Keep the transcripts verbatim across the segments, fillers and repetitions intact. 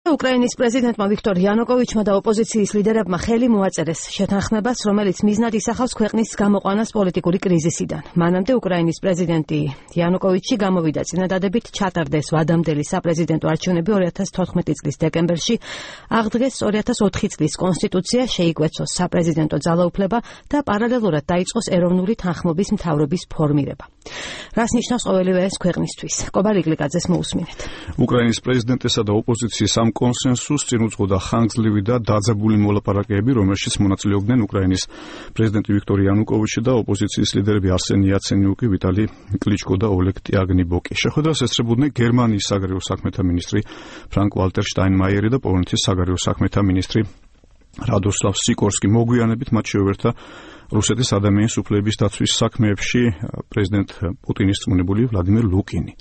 უკრაინის პრეზიდენტმა ვიქტორ იანუკოვიჩმა და ოპოზიციის ლიდერებმა ხელი მოაწერეს შეთანხმებას, რომელიც მიზნად ისახავს ქვეყნის გამოყვანას პოლიტიკური კრიზისიდან. მანამდე უკრაინის პრეზიდენტი იანუკოვიჩი გამოვიდა წინადადებით ჩატარდეს ვადამდელი საპრეზიდენტო არჩევნები ორი ათას თოთხმეტი წლის დეკემბერში, აღდგეს ორი ათას ოთხი წლის კონსტიტუცია, შეიკვეცოს საპრეზიდენტო ძალაუფლება და პარალელურად დაიწყოს ეროვნული თანხმობის მთავრობის ფორმირება. რას ნიშნავს ყოველივე ეს ქვეყნისთვის? კობარ იკლიკაძეს მოусმინეთ. უკრაინის პრეზიდენტესა და ოპოზიციის ამ კონსენსუსს წინ უძღოდა ხანგრძლივი და დაძაბული მოლაპარაკებები, რომელშიც მონაწილეობდნენ უკრაინის პრეზიდენტი ვიქტორ იანუკოვიჩი და ოპოზიციის ლიდერები არსენი იაცენიუკი, ვიტალი კლიჩკო და ოლეგ ტიაგნიბოკი. შეხვედრას ესწრებოდნენ გერმანიის საგარეო საქმეთა მინისტრი ფრანკ ვალტერ შტაინმაიერი და პოლონეთის საგარეო საქმეთა მინისტრი რადოსლავ სიკორსკი. მოგვიანებით მათ შეუერთდა რუსეთის ადამიანის უფლებების დაცვის საქმეებში პრეზიდენტ პუტინის წმუნებული ვლადიმერ ლუკინი.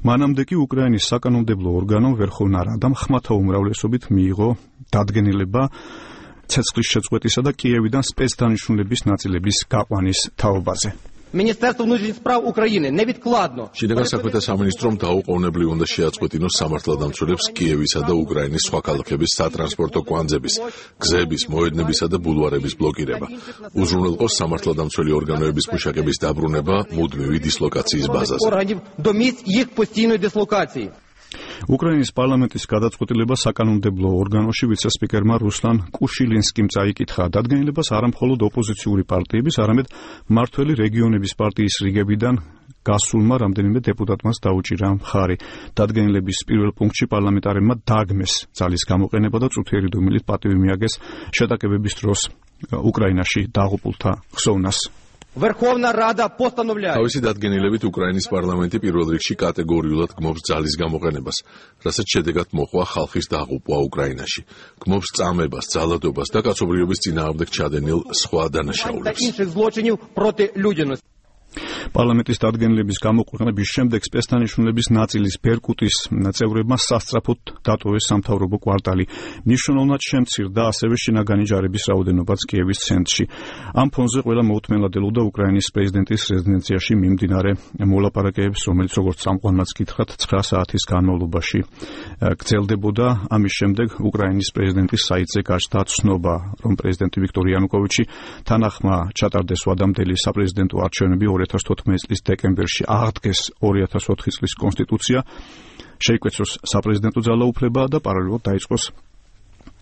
მანამდე კი უკრაინის საკანონმდებლო ორგანომ ვერხოვნა რადამ ხმათა უმრავლესობით მიიღო დადგენილება ცეცხლის შეწყვეტისა და კიევიდან სპეცდანიშნულების ნაწილების გაყვანის თაობაზე. Міністерство внутрішніх справ України невідкладно. შინაგან საქმეთა სამინისტრომ დაუყოვნებლივ უნდა შეაწყვეტინოს სამართალდამცველებს კიევისა და უკრაინის სხვა ქალაქების სატრანსპორტო კვანძების, გზების, მოედნებისა და ბულვარების ბლოკირება. უზრუნველყოს სამართალდამცველი ორგანოების მუშაკების დაბრუნება მუდმივი დისლოკაციის ბაზაზე. Органів до місць їх постійної дислокації. უკრაინის პარლამენტის გადაწყვეტილება საკანონმდებლო ორგანოში ვიცე-სპიკერმა რუსლან კუშილინსკიმ წაიკითხა. დადგენილებას არა მხოლოდ ოპოზიციური პარტიების, არამედ მმართველი რეგიონების პარტიის რიგებიდან გასულმა რამდენიმე დეპუტატმაც დაუჭირა მხარი. დადგენილების პირველ პუნქტში პარლამენტარებმა დააგმეს ძალის გამოყენება და წუთიერი დუმილით პატივი მიაგეს შეტაკებების დროს უკრაინაში დაღუპულთა ხსოვნას. Верховна Рада постановляє. თავისი დადგენილებით უკრაინის პარლამენტი პირველ რიგში კატეგორიულად გმობს ძალის გამოყენებას, რასაც შედეგად მოყვა ხალხის დაღუპვა უკრაინაში. გმობს წამებას, ძალადობას და კაცობრიობის წინააღმდეგ ჩადენილ სხვა დანაშაულებს. інших злочинів проти людяності. პარლამენტის დადგენილების გამოყენების შემდეგ სპეცდანიშნულების ნაწილის ბერკუტის წევრებმა სასწრაფოდ დატოვეს სამთავრობო კვარტალი. მნიშვნელოვნად შემცირდა ასევე შინაგანი ჯარების რაოდენობაც კიევის ცენტრში. ამ ფონზე ყველა მოუთმენლად ელოდა უკრაინის პრეზიდენტის რეზიდენციაში მიმდინარე მოლაპარაკებებს, რომელიც როგორც წამყვანმაც გითხრათ ცხრა საათის განმავლობაში გრძელდებოდა. ამის შემდეგ უკრაინის პრეზიდენტის საიტზე გაჩნდა ცნობა, რომ პრეზიდენტი ვიქტორ იანუკოვიჩი თანახმა ჩატარდეს ვადამდელი საპრეზიდენტო არჩევნები ორი ათას თოთხმეტი წლის დეკემბერში, აღდგეს ორი ათას ოთხი წლის კონსტიტუცია, შეიკვეცოს საპრეზიდენტო ძალაუფლება და პარალელურად დაიწყოს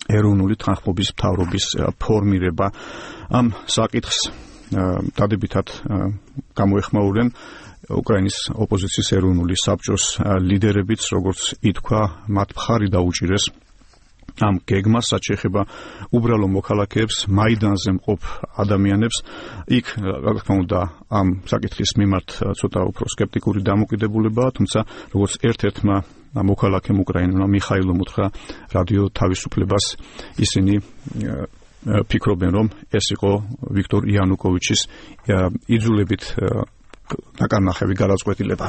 ეროვნული თანხმობის მთავრობის ფორმირება. ამ საკითხს დადებითად გამოეხმაურნენ უკრაინის ოპოზიციის ეროვნული საბჭოს ლიდერებიც, როგორც ითქვა, მათ მხარი დაუჭირეს ამ გეგმას, რაც შეეხება უბრალო მოქალაქეებს, მაიდანზე მყოფ ადამიანებს. იქ, რა თქმა უნდა, ამ საკითხის მიმართ ცოტა უფრო სკეპტიკური დამოკიდებულებაა, თუმცა როგორც ერთ-ერთმა მოქალაქემ უკრაინელმა მიხაილომ უთხრა რადიო თავისუფლებას, ისინი ფიქრობენ, რომ ეს იყო ვიქტორ იანუკოვიჩის იძულებით ნაკარნახევი გადაწყვეტილება.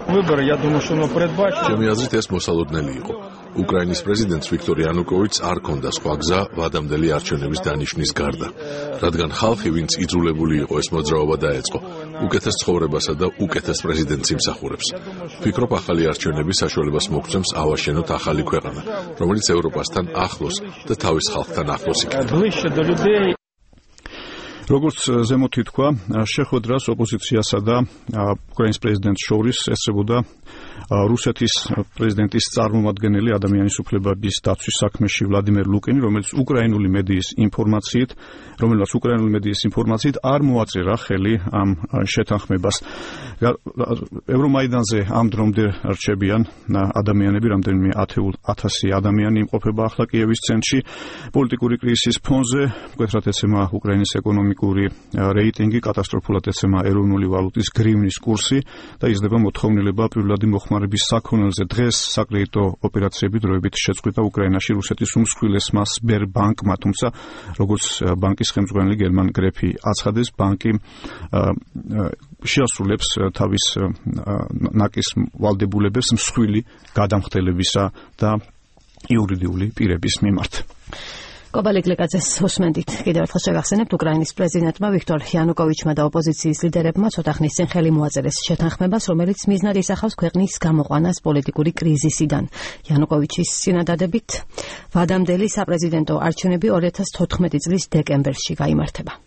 Выборы, я думаю, что оно предбачено. ჩემი აზრით ეს მოსალოდნელი იყო. უკრაინის პრეზიდენტს ვიქტორ იანუკოვიჩს არ ჰქონდა სხვა გზა ვადამდელი არჩევნების დანიშვნის გარდა, რადგან ხალხი, ვინც იძულებული იყო ეს მოძრაობა დაეწყო, უკეთეს ცხოვრებასა და უკეთეს პრეზიდენტს იმსახურებს. ვფიქრობ, ახალი არჩევნები საშუალებას მოგცემს ავაშენოთ ახალი ქვეყანა, რომელიც ევროპასთან ახლოს და თავის ხალხთან ახლოს იქნება. როგორც ზემოთ ითქვა, შეხვედრას ოპოზიციასა და უკრაინის პრეზიდენტს შორის ესწრებოდა რუსეთის პრეზიდენტის წარმომადგენელი ადამიანის უფლებების დაცვის საქმეში ვლადიმერ ლუკინი, რომელიც უკრაინული მედიის ინფორმაციით, რომელსაც უკრაინული მედიის ინფორმაციით არ მოაწერა ხელი ამ შეთანხმებას. ევრომაიდანზე ამ დრომდე რჩებიან ადამიანები, რამდენიმე ათასი ადამიანი იმყოფება ახლა კიევის ცენტრში. პოლიტიკური კრიზისის ფონზე მკვეთრად ეცემა უკრაინის ეკონომიკური რეიტინგი, კატასტროფულად ეცემა ეროვნული ვალუტის გრივნის კურსი და იზრდება მოთხოვნილება პირველადი მოხმარების საქონელზე. დღეს საკრედიტო ოპერაციები დროებით შეწყვიტა უკრაინაში რუსეთის უმსხვილესმა სბერბანკმა, თუმცა როგორც ბანკის ხელმძღვანელი გერმან გრეფი აცხადეს, ბანკი შეასრულებს თავის ნაკის ვალდებულებებს მსხვილი გადამხდელებისა და იურიდიული პირების მიმართ. კობალიკ ლეკაძეს უსმენდით. კიდევ ერთხელ შეგახსენებთ, უკრაინის პრეზიდენტმა ვიქტორ იანუკოვიჩმა და ოპოზიციის ლიდერებმა ცოტა ხნის წინ ხელი მოაწერეს შეთანხმებას, რომელიც მიზნად ისახავს ქვეყნის გამოყვანას პოლიტიკური კრიზისიდან. იანუკოვიჩის წინადადებით ვადამდელი საპრეზიდენტო არჩევნები ორი ათას თოთხმეტი წლის დეკემბერში გაიმართება.